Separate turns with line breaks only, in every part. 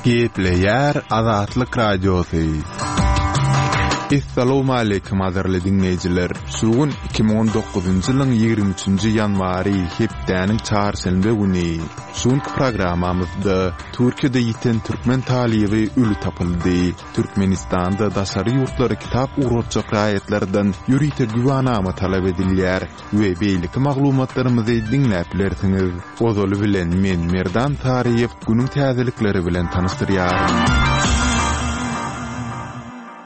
Gepleýär Azatlyk Radiosy. Essalawmaleýkim gadyrly diňleýjiler! Şu gün 2019-njy ýylyň 23-nji ýanwary, hepdäniň çarşenbe güni. Şu günki programmamyzda Türkiýede ýiten türkmen talyby öli tapyldy. Türkmenistanda daşary ýurtlara kitap ugratjak raýatlardan ýörite güwanama talap edilýär we beýleki maglumatlarymyzy diňläp bilersiňiz. Ozaly bilen men Merdan Saryýew günüň täzelikleri bilen tanyşdyrýaryn.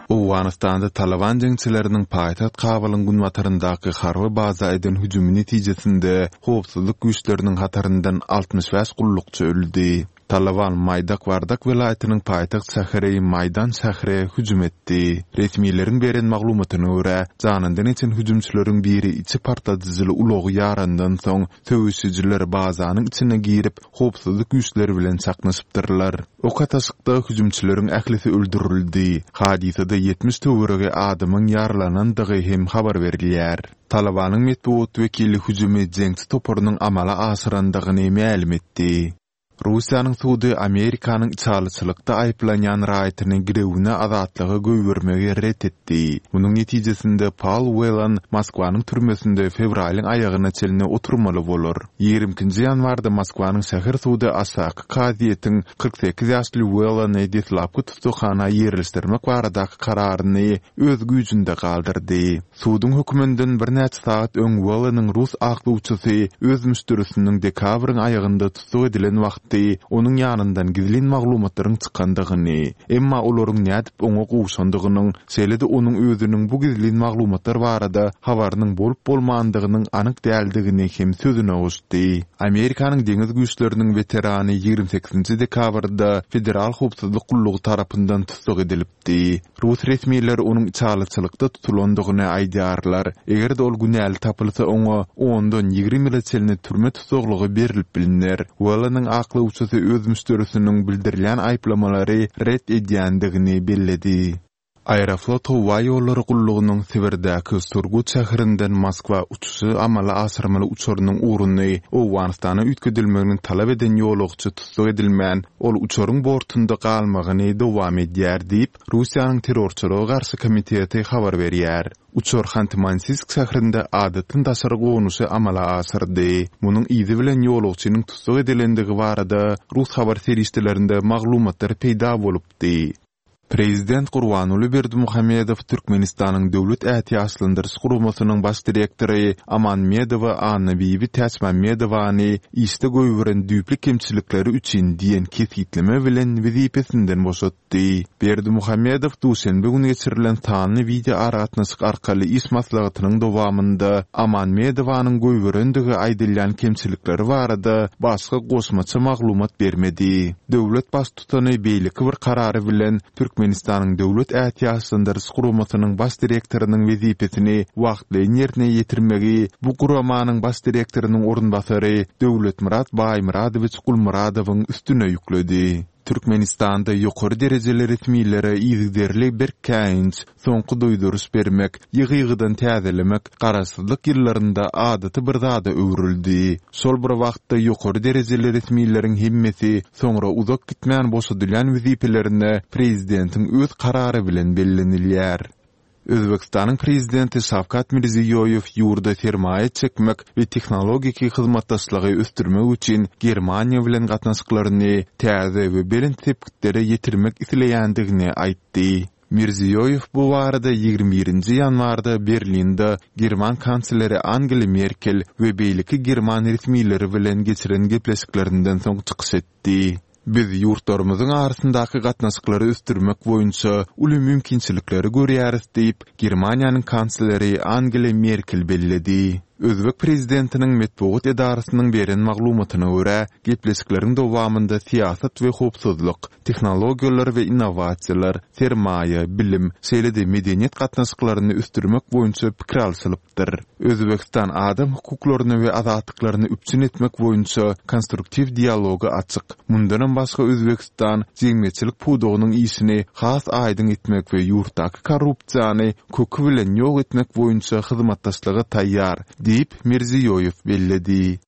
Owganystanda Talyban jeňçileriniň paýtagt Kabulyň günbataryndaky harby baza eden hüjümi netijesinde howpsuzlyk güýçleriniň hataryndan 65 gullukçy öldi. Talyban Maýdak Wardak welaýatynyň paýtagt şäheri Maýdan şähre hüjüm etdi. Resmileriň beren maglumatyna görä, janyndan geçen hüjümçileriň biri içi partladyjyly ulagy ýarandan soň, söweşijiler bazanyň içine girip, howpsuzlyk güýçleri bilen çaknyşypdyrlar. Ok atyşykda hüjümçileriň ählisi öldürildi. Hadysada 70 töweregi adamyň ýaralanandygy hem habar berilýär. Talybanyň metbugat wekili hüjümi jeňçi toparynyň amala aşyrandygyny mälim etdi. Russiýanyň sudy Amerikanyň içalyçylykda aýyplanýan raýatyny girewine azatlyga goýbermegi ret etdi. Munuň netijesinde Paul Whelan Moskwanyň türmesinde fewralyň aýagyna çenli oturmaly bolar. 22-nji ýanwarda Moskwanyň şäher sudy aşaky kazyýetiň 48 ýaşly Whelany deslapky tussaghana ýerleşdirmek baradaky kararyny öz güýjünde galdyrdy. Suduň höküminden birnäçe sagat öň Welleniň rus aklawçysy öz müşderisiniň dekabryň aýagynda tussag edilen wagty onuň ýanyndan gizlin maglumatlaryň çykandygyny, emma olaryň nädip oňa gowşandygynyň, şeýle-de onuň özüniň bu gizlin maglumatlar barada habarynyň bolup-bolmandygynyň anyk däldigini hem sözüne goşdy. Amerikanyň deňiz güýçleriniň weterany 28-nji dekabrda Federal howpsuzlyk gullugy tarapyndan tussag edilipdi. Diýdi. Rus resmileri onuň içalyçylykda tutulandygyny aýdýarlar. Eger-de ol günäli tapylsa oňa ondan 20 ýyla çenli türme tussaglygy berlip bilner. Welleniň aklawçysy öz müşderisiniň bildirilýän aýyplamalary ret edýändigini belledi. Aeroflot howa ýollary gullugynyň Sibirdäki Surgut şäherinden Moskwa uçuşy amala aşyrmaly uçarynyň ugruny Owganystana üýtgedilmegini talap eden ýolagçy tussag edilmän, ol uçaryň bortunda galmagyny dowam edýär diýip, Russiýanyň Terrorçylyga garşy komiteti habar berýär. Uçar Hanty-Mansiýsk şäherinde adatdan daşary gonuşy amala aşyrdy. Munuň yzy bilen ýolagçynyň tussag edilendigi barada rus habar serişdelerinde maglumatlar peýda bolupdy. Prezident Gurbanguly Berdimuhamedow Türkmenistanyň Döwlet ätiýaçlandyryş guramasynyň baş direktory Amanmedowa Annabibi Täçmämmedowany işde goýberen düýpli kemçilikleri üçin diýen kesgitleme bilen wezipesinden boşatdy. Berdimuhamedow duşenbe güni geçirilen sanly wideoaragatnaşyk arkaly iş maslahatynyň dowamynda Amanmedowanyň goýberendigi aýdylýan kemçilikleri barada başga goşmaça maglumat bermedi. Döwlet Baştutany beýleki bir karary bilen Türkmenistanyň Döwlet ätiýaçlandyryş guramasynyň baş direktorynyň wezipesini wagtlaýyn ýerine ýetirmegi bu guramanyň baş direktorynyň orunbasary Döwletmyrat Baýmyradowiç Gulmyradowyň üstüne ýükledi. Türkmenistanda ýokary derejeli resmilere yzygiderli berk käýinç, soňky duýduryş bermek, ýygy-ýygydan täzelemek garaşsyzlyk ýyllarynda adaty bir zada öwrüldi. Şol bir wagtda ýokary derejeli resmileriň hemmesi soňra uzak gitmän boşadylýan wezipelerine prezidentiň öz karary bilen bellenilýär. Özbegistanyň prezidenti Şawkat Mirziýoýew ýurda sermaýa çekmek we tehnologiki hyzmatdaşlygy ösdürmek üçin Germaniýa bilen gatnaşyklaryny täze we belent sepgitlere ýetirmek isleýändigini aýtdy. Mirziýoýew bu barada 21-nji ýanwarda Berlinde german kansleri Angela Merkel we beýleki german resmileri bilen geçiren gepleşiklerinden soň çykyş etdi. Biz ýurtlarymyzyň arasyndaky gatnaşyklary ösdürmek boýunça uly mümkinçilikleri görýäris diýip, Germaniýanyň kansleri Angela Merkel belledi. Özbek prezidentiniň metbugat edarasynyň beren maglumatyna görä, gepleşikleriň dowamynda syýasat we howpsuzlyk, tehnologiýalar we innowasiýalar, sermaýa, bilim, şeýle-de medeniýet gatnaşyklaryny ösdürmek boýunça pikir alşylypdyr. Özbegistan adam hukuklaryny we azatlyklaryny üpjün etmek boýunça konstruktiw dialoga açyk. Mundanam başga Özbegistan jemgyýetçilik pudagynyň işini has aýdyň etmek we ýurtdaky korrupsiýany köki bilen ýok etmek boýunça hyzmatdaşlyga taýýar, diýip, Mirziýoýew belledi.